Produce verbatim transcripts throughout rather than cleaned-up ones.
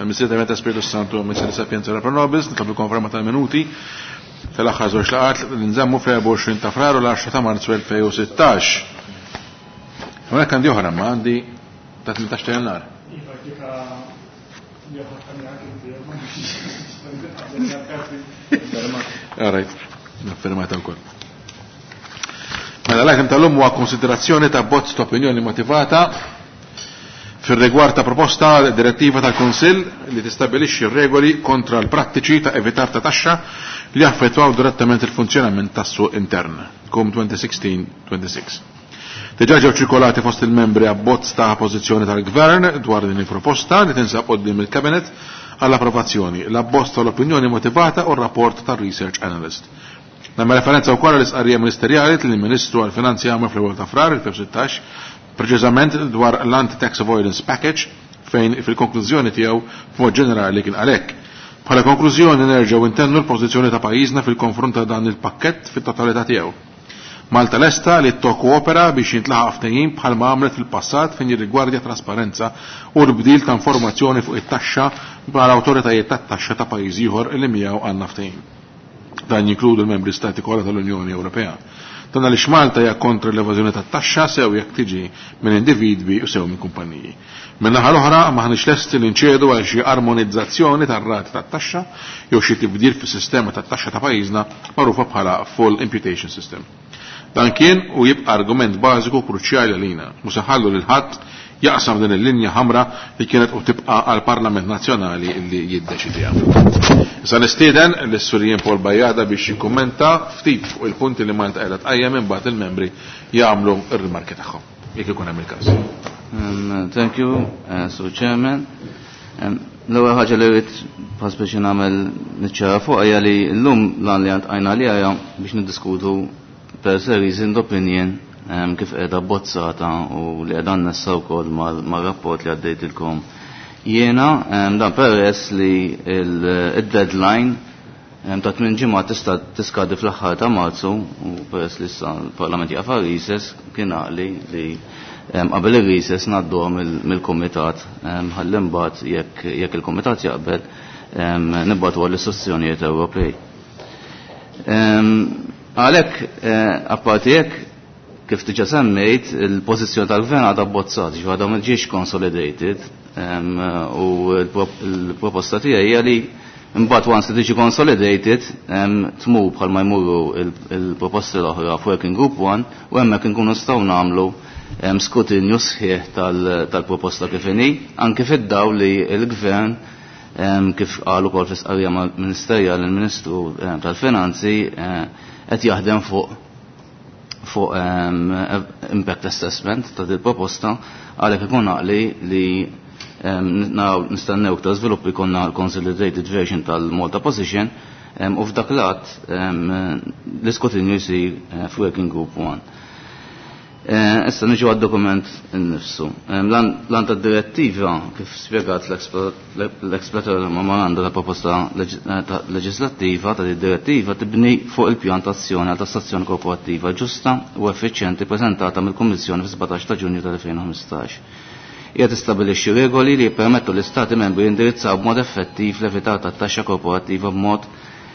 Tal-Missier ta' Spiritu Santu Missier Sapienza Rapra Nobis, nitlob il-konferma tal-minuti tal-aħħar żewġ laqgħat li nżammu fl-erbgħa u għoxrin ta' Frar u l-għaxra ta' Marzu elfejn u sittax. Hawnhekk għandi oħra, ma għandi ta' tmintax ta' Jannar. Iva, kif All right, naffermata wkoll. Mela l-item tal-lum huwa konsiderazzjoni ta' bozz ta' opinjoni motivata fir-rigward ta' proposta direttiva tal-Kunsill li tistabilixxi regoli kontra l-prattiċi ta' evitar ta' taxxa li jaffettwaw direttament il-funzjonament tas-suq intern, Kum twenty sixteen twenty-six. Diġà ġew ċirkolati fost il-membri abbozz ta' pożizzjoni tal-Gvern dwar din il-proposta li tinsab quddiem il-Kabinet għall-approvazzjoni, l-abbozz tal-opinjoni motivata u r-rapport tal-Research Analyst. Nagħmel referenza wkoll għall-istqarrija ministerjali li l-Ministru għall-Finanzi għamel fl-ewwel ta' Frar elfejn u sittax, preċiżament dwar l-Anti-Tax Avoidance Package, fejn fil-konklużjoni tiegħu b'mod ġenerali kien għalhekk. Bħala konklużjoni nerġgħu intennu l-pożizzjoni ta' pajjiżna fil-konfront ta' dan il-pakkett fit-totalità tiegħu. Malta lesta li tokkoopera biex jintlaħaq ftehim bħalma għamlet fil-passat fejn jirrigwardja trasparenza u l-bdil ta' informazzjoni fuq it-taxxa mal-awtoritajiet tat-taxxa ta' pajjiż ieħor li miegħu għandna ftehim. Dan jinkludu l-membri stati kollha tal-Unjoni Ewropea. Dan għaliex Malta hija kontra l-evażjoni tat-taxxa sew jekk tiġi minn individwi u sew minn kumpaniji. Min-naħa l-oħra maħniex lesti li nċedu għal xi armonizzazzjoni tar-rati tat-taxxa jew xi tibdil fis-sistema tat-taxxa ta' pajjiżna magħrufa bħala full imputation system. Dan kien u jibqa' argument bażiku kruċjali għalina, mhux se nħallu lil ħadd jaqsam din il-linja ħamra li kienet u tibqa' għall-Parlament Nazzjonali li jiddeċidiha. Issa nistieden lis-Sur Paul Bajada biex jikkummenta ftit fuq il-punti li Malta qiegħda tqajjem imbagħad il-membri jagħmlu r-rimarki tagħhom, jekk ikun hemm il-każ. Um, thank you, uh, Sur Chairman. Um, l-ewwel ħaġa li rrid pass biex nagħmel niċċara fuq hija li llum lan li għandna li hija biex niddiskutu per se reasoned opinion, um, kif qiegħda abbozzata u li qiegħda annessa wkoll mal-, mar-rapport li għaddejtilkom. Jiena, um, dan peress li il-, il-deadline, um, ta' tmien ġimgħat tista' tiskadi fl-aħħar ta' Marzu u peress li issa l-Parlament jaqaf għal recess kien għaqli li, um, qabel ir-recess ngħadduha mill-, mill-kumitat, um, ħalli mbagħad jekk, jekk il-kumitat jaqbel, um, nibgħatu għall-istituzzjonijiet Ewropej. Um, għalhekk, eh, apparti hekk, kif diġà semmejt, il-pożizzjoni tal-gvern għadha abbozzat, ġifieri għadha ma ġiex consolidated, em, u l-proposta tiegħi hija li mbagħad once li tiġi consolidated, em, tmur bħalma jmurru il-, il-proposti l-oħra f'Working Group one u hemmhekk inkunu nistgħu nagħmlu, em, skrutinju sħiħ tal-, tal-proposta kif inhi, anke fid-dawl li l-gvern, em, kif qal ukoll fl-istqarrija ministerjali l-Ministru, em, tal-Finanzi, eh, qed jaħdem fuq, fuq, em, impact assessment ta' din proposta, għalhekk ikun għaqli li, em, naraw nistennew iktar żviluppi jkollna l-consolidated version tal-Malta position, em, u f'dak l-att, em, l-iskrutinju jsir, eh, f'Working Group one. Eh, issa niġu għad-dokument innifsu. Em, lan, lan tad-direttiva, kif spjegat l-explanatory memoranda ta' proposta leġ-, eh, ta' leġislattiva ta' direttiva tibni fuq il-pjan ta' azzjoni għal tassazzjoni korporattiva ġusta u effiċjenti preżentata mill-Kummissjoni fis-sbatax ta' Ġunju tal-elfejn u ħmistax. Hija tistabbilixxi regoli li jippermettu l-Istati membri jindirizzaw b'mod effettiv l-evitar tat-taxxa korporattiva b'mod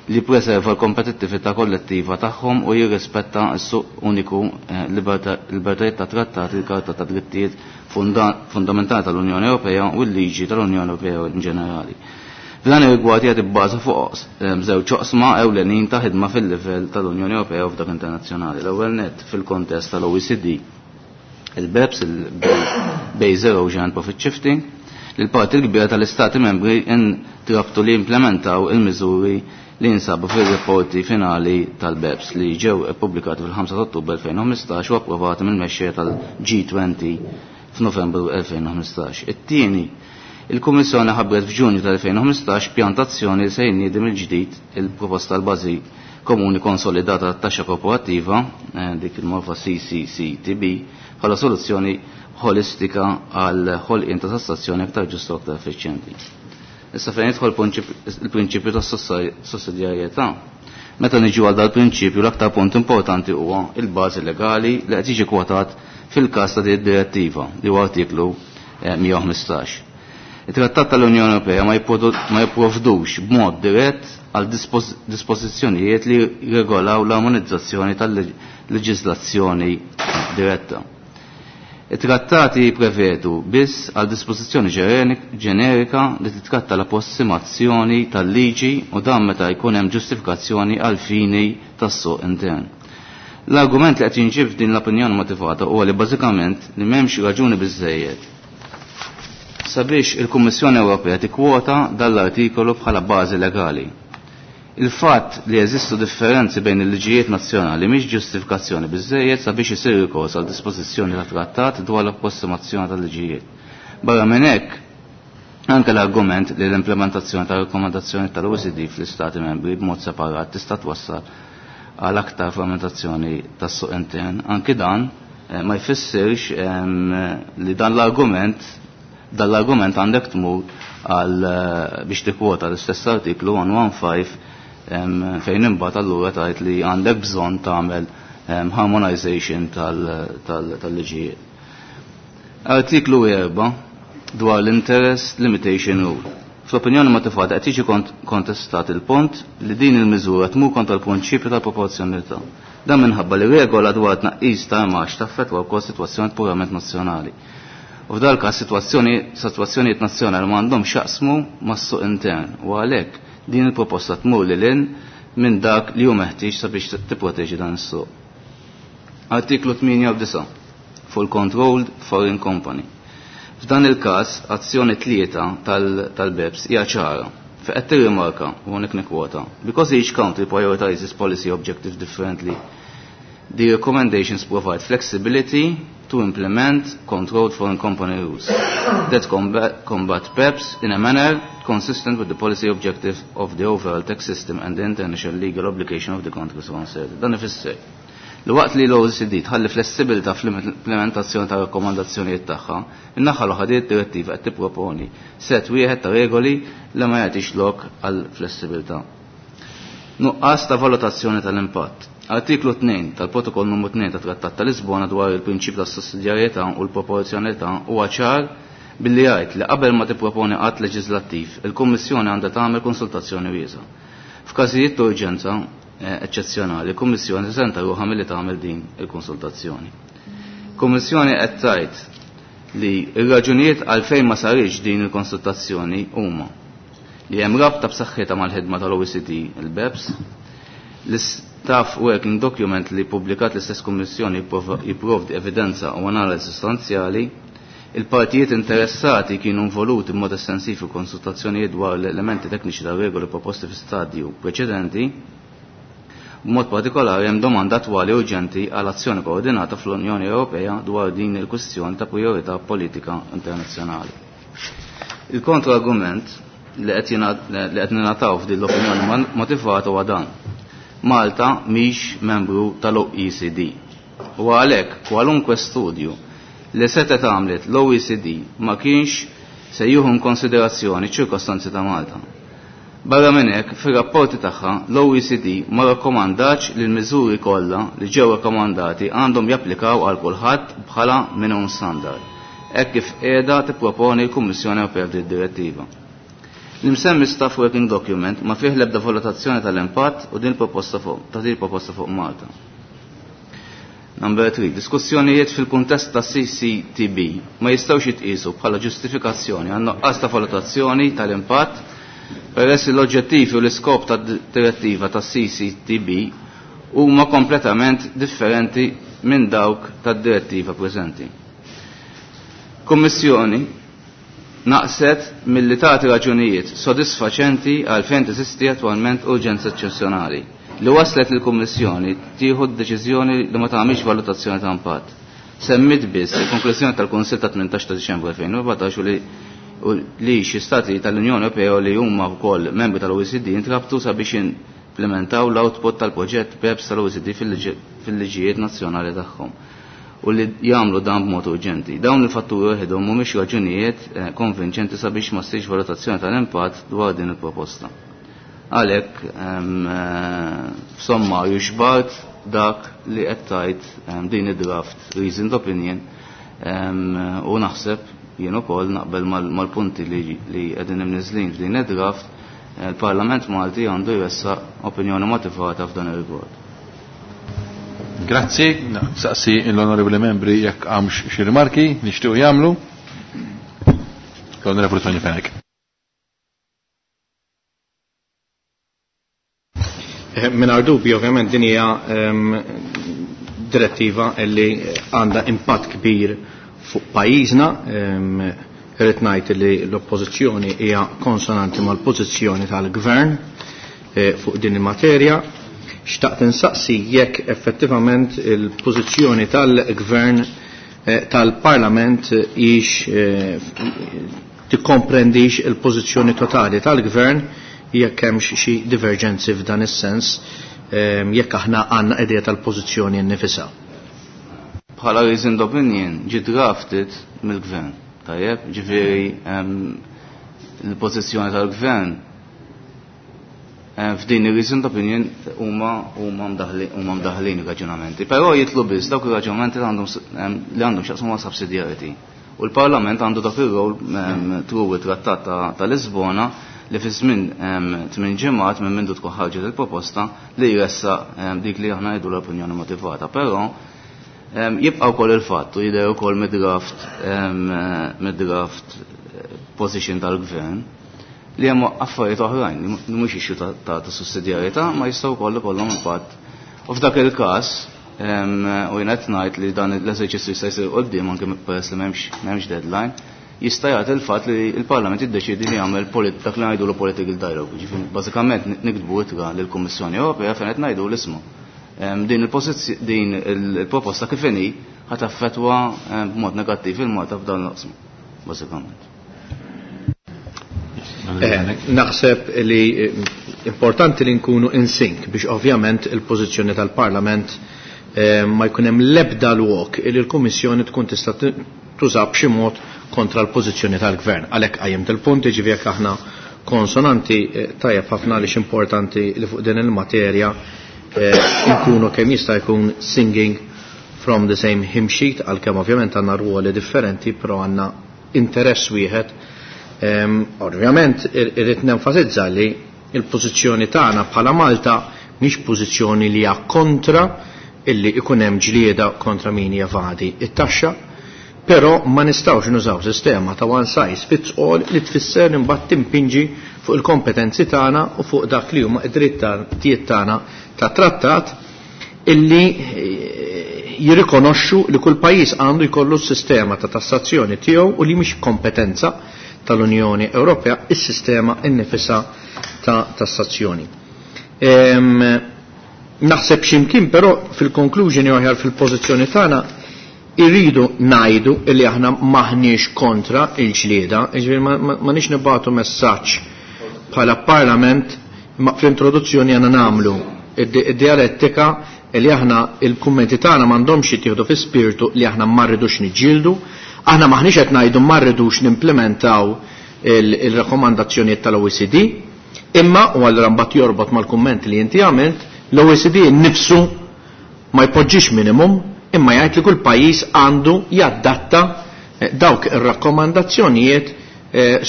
li preserva l-kompetittività kollettiva tagħhom u jirrispetta s-suq uniku, eh, libertà, libertajiet ta' trattati, il-Karta ta' Drittijiet funda-, Fundamentali tal-Unjoni Ewropea u l-liġi tal-Unjoni Ewropea in ġenerali. F'dan ir-rigward hija tibbaża fuq, eh, żewġ oqsma ewlenin ta' ħidma fil-livell tal-Unjoni Ewropea u f'dak internazzjonali. L-ewwel nett fil-kontest tal-O E C D, il-BEPS, il-Base Erosion and Profit Shifting, li l-parti l-kbira tal-Istati membri intrabtu li implementaw il-miżuri li jinsabu fil-rapporti finali tal-BEPS li ġew ippubblikati fil-ħamsa ta' Ottubru elfejn u ħmistax u approvati mill-mexxejja tal-G twenty f'Novembru elfejn u ħmistax. It-tieni, il-Kummissjoni ħabbret f'Ġunju tal-elfejn u ħmistax pjantazzjoni li se jniedi mill-ġdid il-proposta tal-bażi komuni konsolidata tat-taxxa korporattiva, eh, dik il-morfa C C C T B, bħala soluzzjoni ħolistika għal ħolqien ta' tassazzjoni aktar ġusta u aktar effiċjenti. Issa fejn jidħol il-prinċipju ta' sussidjarjetà. Meta niġu għal dal-prinċipju l-aktar punt importanti huwa il-bażi legali li qed jiġi kwotat fil-każ ta' din id-direttiva li huwa artiklu, eh, mija u ħmistax. Il-Trattat tal-Unjoni Ewropea ma jipprovdux b'mod dirett għal dispożizzjonijiet li regolaw l-armonizzazzjoni tal-leġiżlazzjoni diretta. Il-trattati prevedu biss għal dispożizzjoni ġenerika li titratta l-approssimazzjoni tal-liġi u dan meta jkun hemm ġustifikazzjoni għal fini tas-suq intern. L-argument li qed jinġib din l-opinjoni motivata huwa li bażikament li m'hemmx raġuni biżejjed sabiex il-Kummissjoni Ewropea tikkwota dan l-artikolu bħala bażi legali. Il-fatt li jeżistu differenzi bejn il-liġijiet nazzjonali mhix ġustifikazzjoni biżejjed sabiex isir rikors għal dispożizzjoni ta' trattat dwar l-approssimazzjoni tal-liġijiet. Barra minn hekk, anke l-argument li l-implementazzjoni ta' rakkomandazzjoni tal-O E C D fl-Istati membri b'mod separat tista' twassal għal aktar frammentazzjoni tas-suq intern, anke dan eh, ma jfissirx ehm, li dan l-argument dan l-argument għandek tmur għal eh, biex tikkwota l-istess artiklu one one five fejn imbagħad allura tgħid li għandek bżonn tagħmel harmonization tal-liġijiet. Artiklu erba' dwar l-interest limitation rule. Fl-opinjoni motivata qed jiġi kontestat il-punt li din il-miżura tmur kontra l-prinċipju tal-proporzjonalità. Dan minħabba li regola dwar tnaqqis ta' imax taffettwa wkoll sitwazzjoni purament nazzjonali. U f'dal każ sitwazzjoni, sitwazzjonijiet nazzjonali ma għandhom x'jaqsmu mas-suq intern u għalhekk din il-proposta tmur lil hinn minn dak li hu meħtieġ sabiex tipproteġi dan is-suq. Artiklu tmienja u disa' fuq il-Controlled Foreign Company. F'dan il-każ azzjoni tlieta tal-BEPS hija ċara. Fejn qed tirrimarka u hawnhekk nikkwota. Because each country prioritizes policy objectives differently, the recommendations provide flexibility to implement controlled foreign company rules that combat, combat BEPS in a manner consistent with the policy objective of the overall tax system and the international legal obligation of the countries concerned. Dan ifisser li waqt li l-O E C D tħalli flessibilità fl-implementazzjoni ta' rakkomandazzjonijiet tagħha, in-naħa l-oħra din id-direttiva qed tipproponi set wieħed ta' regoli li ma jagħtix lok għal flessibilità. Nuqqas ta' valutazzjoni tal-impatt. Artiklu tnejn tal-Protokoll numru tnejn tat Trattat ta' Lisbona dwar il-prinċip tas sussidjarjetà u l-proporzjonalità huwa ċar billi jgħid li qabel ma tipproponi att leġislattiv, il-Kummissjoni għandha tagħmel konsultazzjoni wiesa'. F'każijiet ta' urġenza, eh, eċċezzjonali, il-Kummissjoni teżenta ruħha milli tagħmel din il-konsultazzjoni. Kummissjoni qed tgħid li r-raġunijiet għalfejn ma sarix din il-konsultazzjoni huma li hemm rabta b'saħħitha mal-ħidma tal-O E C D, il-BEPS, l-Staff Working Document li publikat l-istess Kummissjoni jipprovdi evidenza u analiżi sostanzjali, il-partijiet interessati kienu involuti b'mod estensiv fi konsultazzjonijiet dwar l-elementi tekniċi tar regoli proposti fi stadju preċedenti, b'mod partikolari hemm domanda attwali urġenti għal azzjoni koordinata fl-Unjoni Ewropea dwar din il-kwistjoni ta' priorità politika internazzjonali. Il-kontra-argument li qed ningħataw f'din l-opinjoni motivata huwa dan. Malta mhix membru tal-O E C D. U għalhekk kwalunkwe studju li setgħet għamlet l-O E C D ma kienx se jieħu konsiderazzjoni ċ-ċirkostanzi ta' Malta. Barra minn hekk, fir-rapporti tagħha l-O E C D ma rakkomandax li l-miżuri kollha li ġew rakkomandati għandhom japplikaw għal kulħadd bħala minimum standard, hekk kif qiegħda tipproponi l-Kummissjoni Ewropea f'din id-direttiva. L-imsemmi Staff Working Document ma fih l-ebda valutazzjoni tal-impatt u din proposta fuq, ta' din proposta fuq Malta. Number three, diskussjonijiet fil-kuntest ta' C C T B ma jistgħux jitqisu bħala ġustifikazzjoni għan nuqqas ta' valutazzjoni tal-impatt peress li l-oġġettivi u l-iskop ta' direttiva ta' C C T B huma kompletament differenti minn dawk tad-direttiva preżenti. Kummissjoni naqset milli tagħti raġunijiet sodisfaċenti għal fejn teżisti attwalment urġenza eċċezzjonali li waslet lill-Kummissjoni tieħu d-deċiżjoni li ma tagħmilx valutazzjoni ta' impatt. Semmit biss il-konklużjoni tal-Kunsill ta' tmintax ta' Diċembru elfejn u erbatax u li u li xi stati tal-Unjoni Ewropea li huma wkoll membri tal-O E C D intrabtu sabiex implementaw l-output tal-proġett BEPS tal-O E C D fil-liġijiet nazzjonali tagħhom u li jagħmlu dan b'mod urġenti. Dawn il-fatturi waħedhom mhumiex raġunijiet, eh, konvinċenti sabiex ma ssirx valutazzjoni tal-impatt dwar din il-proposta. Għalhekk, ehm, eh, f'sommarju xbart dak li qed tgħid, ehm, din id-draft reasoned opinion, ehm, u naħseb jien ukoll naqbel mal-punti li qegħdin imniżlin f'din id-draft, il-Parlament Malti għandu jressaq opinjoni motivata f'dan ir-rigward. Grazzi, saqsi l-onorevoli membri jekk għamx xi rimarki nixtiequ jagħmlu. L-Onorevoli Tony Fenech. Mingħajr dubju, ovvjament din hija direttiva li għandha impatt kbir fuq pajjiżna. Irrid ngħid li l-oppożizzjoni hija konsonanti mal-pożizzjoni tal-gvern fuq din il-materja. Xtaqt insaqsi jekk effettivament il-pożizzjoni tal-gvern tal-Parlament hix tikkomprendix il-pożizzjoni totali tal-gvern, jekk hemmx xi divergenzi f'dan is-sens, jekk aħna għandna idea tal-pożizzjoni nnifisha. Bħala reasoned opinion ġi drafted mill-gvern, tajjeb, ġifieri l-pożizzjoni tal-gvern f'din ir-reasoned opinion huma huma mdaħlin ir-raġunamenti. Però jitlu biss dawk ir-raġunamenti li għandhom x'jaqsmu ma' subsidiarity. U l-Parlament għandu dak ir-rol through it-Trattat ta' Lisbona li fi żmien tmien ġimgħat minn mindu tkun ħarġet il-proposta li jressaq dik li aħna ngħidu l-opinjoni motivata. Però jibqa' wkoll il-fatt u jidher ukoll mid-draft mid-draft position tal-gvern li hemm affarijiet oħrajn li mhux issue ta' sussidjarjetà ma jistgħu wkoll ikollhom impatt. U f'dak il-każ u jien qed ngħid li dan l-eżerċizzju jista' jsir quddiem anke peress li m'hemmx m'hemmx deadline, jista' jagħti il-fatt li l-Parlament jiddeċiedi li jagħmel dak li ngħidulu political dialogue. Ġifieri bażikament niktbu ittra lill-Kummissjoni Ewropea fejn qed ngħidu l-ismu. Din il-din il-proposta kif inhi ħa taffettwa b'mod negattiv il-Malta f'dan l-oqsma, bażikament. Naħseb li importanti li nkunu in sync biex ovvjament il-pożizzjoni tal-Parlament ma jkun hemm l-ebda lok li l-Kummissjoni tkun tista' tuża b'xi mod kontra l-pożizzjoni tal-Gvern. Għalhekk qajjimt il-punt, jiġifieri jekk aħna konsonanti tajjeb ħafna għaliex importanti li fuq din il-materja nkunu kemm jista' jkun singing from the same hymn sheet, għalkemm ovvjament għandna ruoli differenti, però għandna interess wieħed. Ovvjament irrid nenfasizza li l-pożizzjoni tagħna bħala Malta mhix pożizzjoni li hija kontra illi ikun hemm ġlieda kontra min jevadi it-taxxa, però ma nistgħux nużaw sistema ta' one size fits all li tfisser imbagħad timpinġi fuq il-kompetenzi tagħna u fuq dak li huma id-drittijiet tagħna ta' trattat illi jirrikonoxxu li kull pajjiż għandu jkollu s-sistema ta' tassazzjoni tiegħu u li mhix kompetenza tal-Unjoni Ewropea is-sistema innifisha ta' tassazzjoni. Naħseb x'imkien però fil-conclusion jew aħjar fil-pożizzjoni tagħna irridu ngħidu illi aħna maħniex kontra il-ġlieda, jiġifieri ma nix nibagħtu messaġġ bħala Parlament, ma fl-introduzzjoni għandna nagħmlu id-dialettika li aħna il-kummenti tagħna m'għandhomx jittieħdu fi spiritu li aħna ma rridux niġġieldu, aħna maħniex qed ngħidu ma rridux nimplementaw il-rakkomandazzjonijiet tal-O E C D, imma u allura mbagħad jorbot mal-kumment li inti għamilt, l-O E C D nnifsu ma jpoġġix minimum, imma jgħid li kull pajjiż għandu jadatta dawk ir-rakkomandazzjonijiet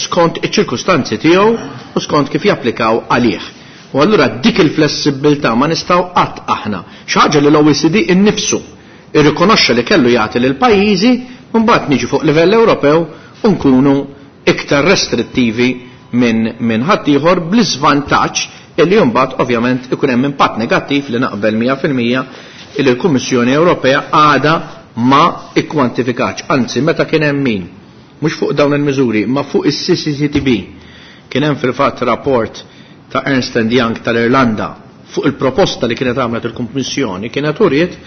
skont iċ-ċirkustanzi tiegħu u skont kif japplikaw għalih. U allura dik il-flessibilità ma nistgħu qatt aħna. Xi ħaġa li l-O E C D innifsu irrikonoxxa li kellu jagħti lil pajjiżi, mbagħad niġu fuq livell Ewropew u nkunu iktar restrittivi minn min ħaddieħor bl-iżvantaġġ illi mbagħad ovvjament ikun hemm impatt negattiv li naqbel mija fil-mija illi l-Kummissjoni Ewropea għadha ma ikkwantifikatx. Anzi, meta kien hemm min, mhux fuq dawn il-miżuri, ma fuq is-C C C T B, kien hemm fil-fatt rapport ta' Ernst and Young tal-Irlanda fuq il-proposta li kienet għamlet il-Kummissjoni, kienet uriet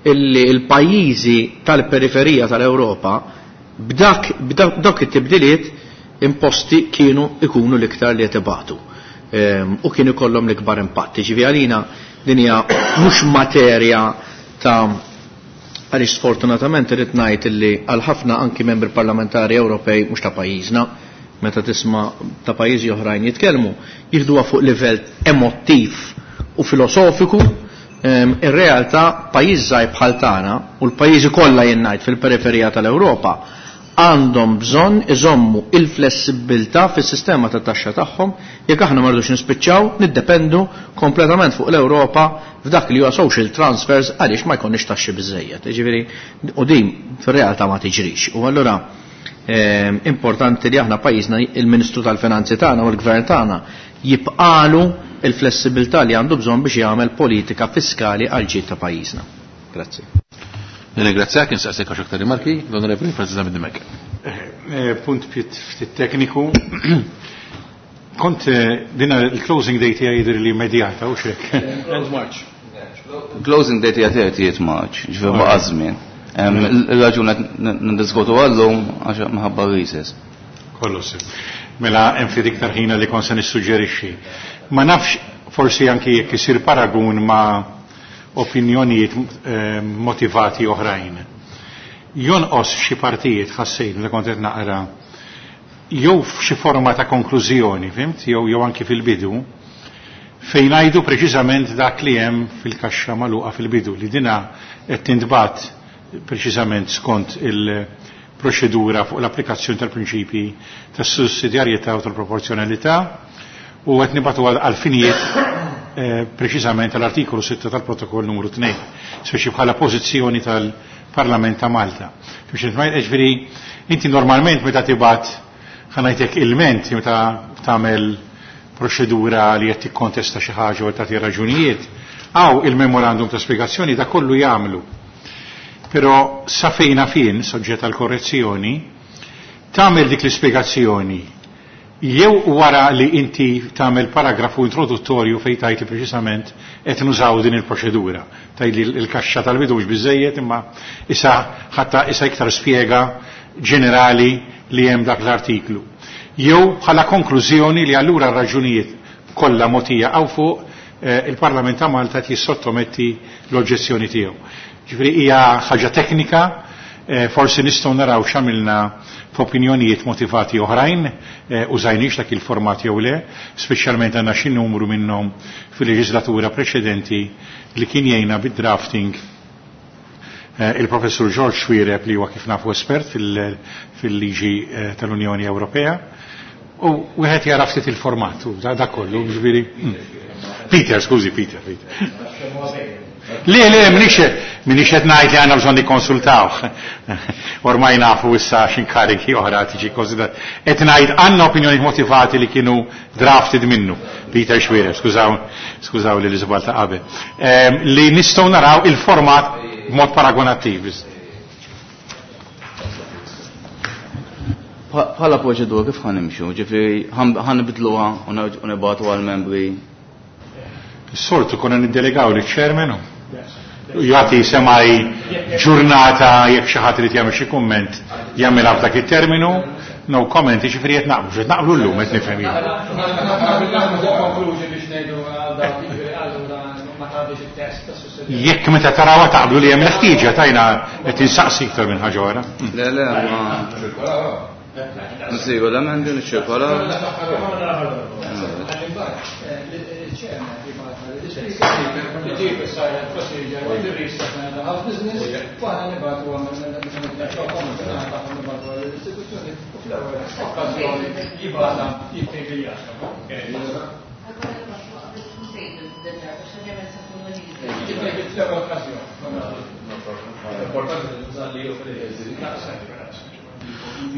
illi l-pajjiżi tal-periferija tal-Ewropa b'dak, b'dak it-tibdiliet imposti kienu ikunu l-iktar li jtibatu. Ehm, u kienu ikollhom l-ikbar impatt. Ġifieri għalina din hija mhux materja ta' għaliex sfortunatament irrid ngħid illi għal ħafna anki membri parlamentari Ewropej mhux ta' pajjiżna, meta tisma' ta' pajjiżi oħrajn jitkellmu, jieħduha fuq livell emottiv u filosofiku. Ehm, ir-realtà pajjiż żgħir bħal tagħna u l-pajjiżi kollha jien ngħid fil-periferija tal-Ewropa Għandhom bżonn iżommu il-flessibilità fis-sistema ta' taxxa tagħhom jekk aħna ma rridux nispiċċaw niddependu kompletament fuq l-Ewropa f'dak li huwa social transfers għaliex ma jkollniex taxxi biżejjed. Jiġifieri u din fir-realtà ma tiġrix. U allura eh, importanti li aħna pajjiżna il-Ministru tal-Finanzi tagħna u l-Gvern tagħna jibqalu il-flessibilità li għandu bżonn biex jagħmel politika fiskali għal ġid ta' pajjiżna. Grazzi. Nirringrazzjak, insaqsik għax aktar rimarki, l-Onorevoli Francis Zammit Dimech. Punt ftit tekniku. Kont dina il-closing date hija jidher li immedjata u xek. End March. Closing date hija thirtieth March, ġifier baqa' żmien. Il-raġuni qed niddiskutu għallum għax minħabba recess. Kollu sew. Mela hemm ftit iktar ħina li kont se nissuġġerixxi. Ma nafx forsi anki jekk isir paragun ma' opinjonijiet motivati oħrajn. Jonqos f'xi partijiet ħassejt li kont qed naqra jew f'xi forma ta' konklużjoni, fimt, jew jew anki fil-bidu, fejn ngħidu preċiżament dak li hemm fil-kaxxa magħluqa fil-bidu li dina qed tintbagħat preċiżament skont il-proċedura fuq l-applikazzjoni tal-prinċipji tas-sussidjarjetà u tal-proporzjonalità u qed nibgħatu għal finijiet preċiżament tal-artikolu sitta tal-protokoll numru tnejn, speċi bħala pożizzjoni tal-Parlament ta' Malta. Ġifieri inti normalment meta tibgħat ħanajtek ilment meta tagħmel proċedura li qed tikkontesta xi ħaġa u tagħti raġunijiet, għaw il-memorandum ta' spjegazzjoni da kollu jagħmlu. Però sa fejna fin, soġġett għal korrezzjoni, tagħmel dik l-ispjegazzjoni jew wara li inti tagħmel paragrafu introduttorju fejn tgħid li preċisament qed nużaw din il-proċedura. Tgħid li l-kaxxa tal-bidu mhux biżejjed imma issa ħatta issa iktar spjega ġenerali li hemm dak l-artiklu. Jew bħala konklużjoni li allura r-raġunijiet kollha mogħtija hawn fuq eh, il-Parlament ta' Malta qed jissottometti l-oġġezzjoni tiegħu. Ġifieri hija ħaġa teknika, eh, forsi nistgħu naraw x'għamilna f'opinjonijiet motivati oħrajn, eh, użajniex dak il-format jew le, speċjalment għandna xi numru minnhom fil-leġislatura preċedenti li kien jgħinna bid-drafting eh, il-professur George Xuereb li huwa kif nafu espert fil-liġi eh, tal-Unjoni Ewropea u wieħed jara ftit il-format u da, da kollu, ġifieri. Mm. Peter, skużi, Peter, Peter. Le, le, minix minix qed ngħid li għandna bżonn nikkonsultawh. Ormai nafu issa x'inkariki oħra tiġi konsiderat. Qed ngħid għandna opinjoni motivati li kienu drafted minnu. Peter Xuereb, skużaw, skużaw li l-iżbal ta' qabel. Ehm, li nistgħu naraw il-format b'mod paragonattiv. Bħala proċedura kif ħanimxu, ġifieri ħanibdluha u nibgħatu għall-membri. Is-soltu konna niddelegaw liċ-chairman jagħti semaj ġurnata jekk xi ħadd irid jagħmel xi kumment jagħmilha f'dak it-terminu, no comment, jiġifieri qed naqblu, qed naqblu llum qed nifhem jien. Jekk meta tarawha taqblu li hemm il-ħtieġa tajna qed insaqsi iktar minn ħaġa oħra. Le, le, ma nsiru l-emendi niċċirkolaw.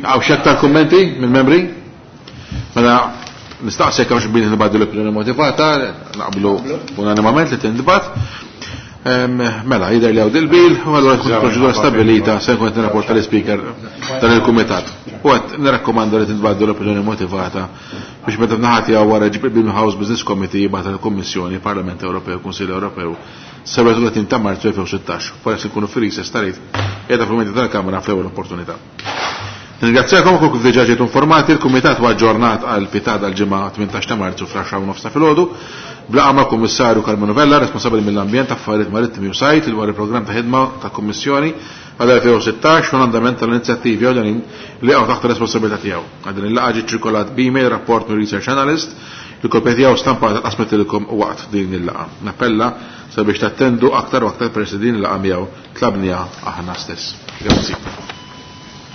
Għaw xi aktar kummenti mill-membri? Mela nistaqsek għax billi nibgħadu l-opinjoni motivata, naqblu unanimament li tintbagħat. Mela, jidher li hawn dil-bil, u allura tkun proċedura stabilita se nkun qed nirrapporta l-ispeaker dan il-kumitat. U qed nirrakkomanda li tintbagħdu l-opinjoni motivata biex meta naħat jew wara ġib bil House Business Committee jibgħat il-Kummissjoni, Parlament Ewropew, Kunsill Ewropew, sebgħa u tletin ta' Marzu elfejn u sittax. Forsi nkunu fil-recess tarit qiegħda fil-menti tal-Kamra fl-ewwel opportunità. Nirringrazzjakom kull kif diġà ġejtu informati, il-Kumitat huwa aġġornat għal pitada l-ġimgħa tmintax ta' Marzu fl-għaxra u nofs ta' filgħodu. Blaqa ma' Kummissarju Karmenu Vella, responsabbli mill-ambjent, affarijiet marittimi u sajt, dwar il-programm ta' ħidma ta' Kummissjoni għal elfejn u sittax u l-andament tal-inizjattivi ewlenin li jaqgħu taħt ir-responsabilità tiegħu. Għal din il-laqgħa ġie ċirkolat b'email rapport minn Research Analyst, il-kopja tiegħu stampata tqasmet ilkom waqt din il-laqgħa. Nappella sabiex tattendu aktar u aktar peress li din il-laqgħa miegħu tlabniha aħna stess. Grazzi.